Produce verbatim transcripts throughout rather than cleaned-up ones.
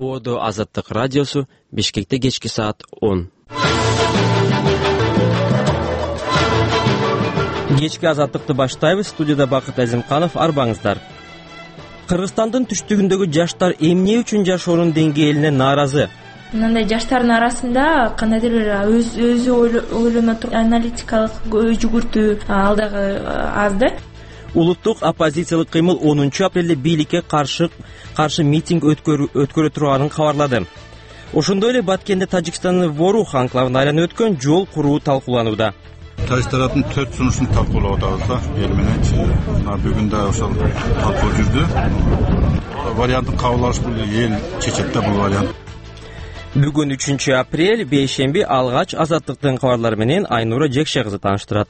Оодо Азаттык радиосу, Бишкекте кечки саат он. Кечки Азаттыкты баштайбыз. Студияда Бакыт Азимканов, арбаңыздар. Кыргызстандын түштүгүндөгү жаштар эмне үчүн жашоонун деңгээлине нааразы? Мындай жаштардын арасында кандайдыр бир өз өзү ойлоно турган аналитикалык жүгүртүү ал дагы аз да. Улуттук оппозициялык кыймыл онунчу апрелде бийликке каршы каршы митинг өткөрө турганын кабарлады. Ошондой эле Баткенде Тажикстандын Ворух анклавына айланып өткөн жол куруу талкууланууда. Тайыз тараптын төрт сунушун талкуулап атабыз да, эл мененчи. Бүгүн да ошол талкуу жүрдү. Вариантын кабыл алыш бул эл чечет да бул вариант. Бүгүн үчүнчү апрель бейшемби алгач Азаттыктын кабарлары менен Айнура Жекше кызы тааныштырат.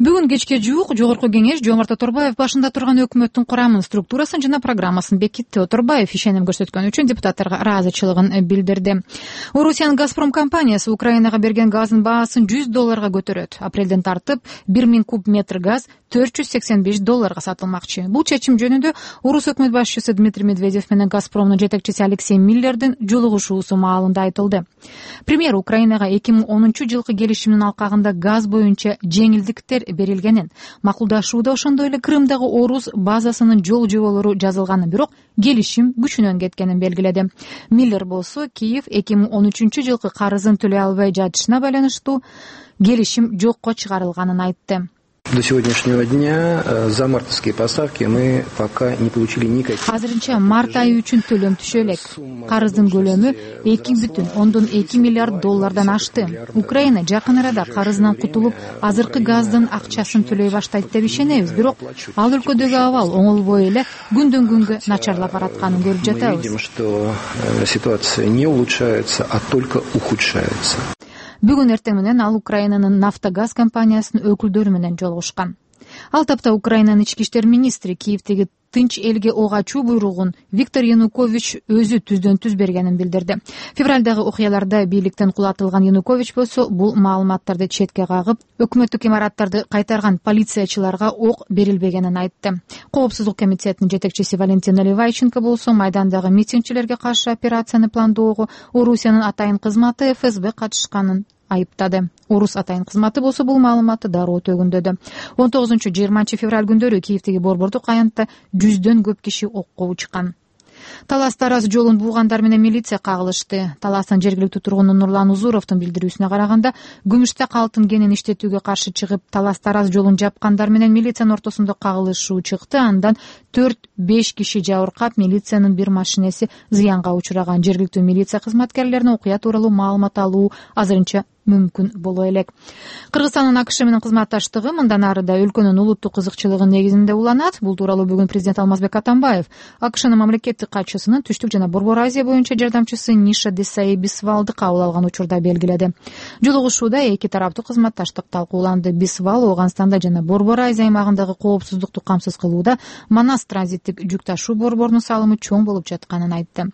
Бүгүн кечке жуук Жогорку кеңеш Жомарт Оторбаев башында турган өкмөттүн курамын, структурасын жана программасын бекитти. Оторбаев ишеним көрсөткөн үчүн депутаттарга ыраазычылыгын билдирди. Орусиянын Газпром компаниясы Украинага берген газдын баасын жүз долларга көтөрөт. Апрелден тартып бир миң куб метр газ төрт жүз сексен беш долларга сатылмакчы. Бул чечим жөнүндө Орус өкмөт башчысы Дмитрий Медведев менен Газпромдун жетекчиси Алексей Миллердин жолугушуусу маалында айтылды. Премьер Украинага эки миң онунчу жылкы келишимдин алкагында газ боюнча жеңилдиктер берилгенин, макулдашууда ошондой эле Крымдагы орус базасынын жол жоболору жазылганын, бирок келишим күчүнөн кеткенин белгиледи. Миллер болсо Киев эки миң он үчүнчү жылкы карызын төлөй албай жатышына байланыштуу келишим жокко чыгарылганын айтты. До сегодняшнего дня за мартовские поставки мы пока не получили никаких. Азырынча март айы үчүн төлөм түшө элек. Карыздын көлөмү эки бүтүн ондон эки миллиард доллардан ашты. Украина жакын арада карызынан кутулуп, азыркы газдын акчасын төлөй баштайт деп ишенебиз, бирок ал өлкөдөгү абал оңолбой эле күндөн күнгө начарлап баратканын көрүп жатабыз. Мы видим, что ситуация не улучшается, а только ухудшается. Бүгүн эртең менен ал Украинанын Нафтогаз компаниясынын өкүлдөрү менен жолугушкан. Ал тапта Украинанын ички иштер министри Киевдеги тынч элге ок ачуу буйругун Виктор Янукович өзү түздөн түз бергенин билдирди. Февралдагы окуяларда бийликтен кулатылган Янукович болсо бул маалыматтарды четке кагып, өкмөттүк имараттарды кайтарган полициячыларга ок берилбегенин айтты. Коопсуздук комитетинин жетекчиси Валентина Ливайченко болсо майдандагы митингчилерге каршы операцияны пландоого Орусиянын атайын кызматы эф эс бэ катышканын айыптады. Орус атайын кызматы болсо бул маалыматты дароо төгүндөдү. он тогузунчу жыйырманчы февраль күндөрү Киевдеги борбордук аянтта жүздөн көп киши окко учкан. Талас Тараз жолун буугандар менен милиция кагылышты. Таластын жергиликтүү тургуну Нурлан Узуровдун билдирүүсүнө караганда, күмүштак алтын кенин иштетүүгө каршы чыгып, Талас Тараз жолун жапкандар менен милициянын ортосунда кагылышуу чыкты. Андан төрт беш киши жабыркап, милициянын бир машинеси зыянга учураган. Жергиликтүү милиция кызматкерлерине окуя тууралуу маалымат алуу азырынча мүмкүн боло элек. Кыргызстандын АКШ менен кызматташтыгы мындан ары да өлкөнүн улуттук кызыкчылыгын негизинде уланат. Бул тууралуу бүгүн президент Алмазбек Атамбаев АКШнын мамлекеттик катчысынын Түштүк жана Борбор Азия боюнча жардамчысы Ниша Десаи Бисвалды кабыл алган учурда белгиледи. Жолугушууда эки тараптуу кызматташтык талкууланды. Бисвал Ооганстанда жана Борбор Азия аймагындагы коопсуздукту камсыз кылууда Манас транзиттик жүк ташуу борборунун салымы чоң болуп жатканын айтты.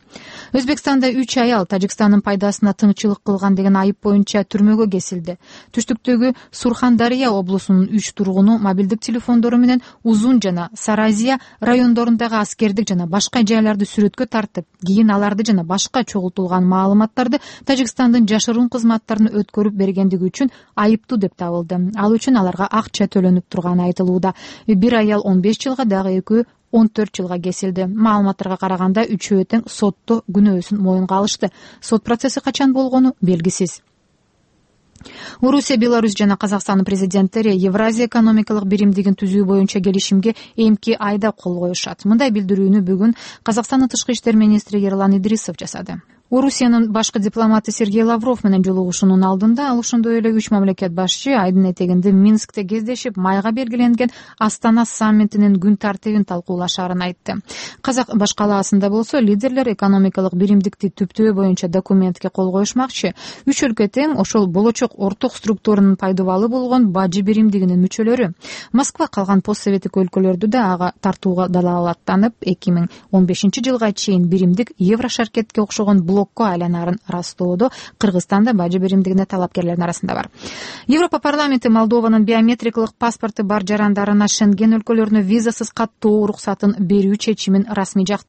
Өзбекстанда үч аял Тажикстандын пайдасына тыңчылык кылган деген айып боюнча түрмөгө кесилди. Түштүктөгү Сурхандария облусунун үч тургуну мобилдик телефондору менен Узун жана Саразия райондорундагы аскердик жана башка жайларды сүрөткө тартып, кийин аларды жана башка чогултулган маалыматтарды Тажикстандын жашыруун кызматтарына өткөрүп бергендиги үчүн айыптуу деп табылды. Ал үчүн аларга акча төлөнүп турганы айтылууда. Бир аял он беш жылга, дагы экөө он төрт жылга кесилди. Маалыматтарга караганда үчөө тең сотто күнөөсүн моюнга алышты. Сот процесси качан болгону белгисиз. Орусия, Беларусь жана Казакстандын президенттери Евразия экономикалык биримдигин түзүү боюнча келишимге эмки айда кол коюшат. Мындай билдирүүнү бүгүн Казакстандын тышкы иштер министри Ерлан Идрисов жасады. Орусиянын башкы дипломаты Сергей Лавров менен жолугушуунун алдында ал ошондой эле үч мамлекет башчы айдын этегинде Минскте кездешип, майга белгиленген Астана саммитинин күн тартибин талкуулашаарын айтты. Казак баш калаасында болсо лидерлер экономикалык биримдикти түптөө боюнча документке кол коюшмакчы. Үч өлкө тең ошол болочок орток структуранын пайдабалы болгон бажы биримдигинин мүчөлөрү. Москва калган постсоветтик өлкөлөрдү да ага тартууга далалаттанып, эки миң он бешинчи жылга чейин биримдик Еврошаркетке окшогон блокко айланарын растоодо Кыргызстанда бажы биримдигине талапкерлердин арасында бар. Европа парламенти Молдованын биометрикалык паспорту бар жарандарына Шенген өлкөлөрүнө визасыз каттоо уруксатын берүү чечимин расмий жактырды.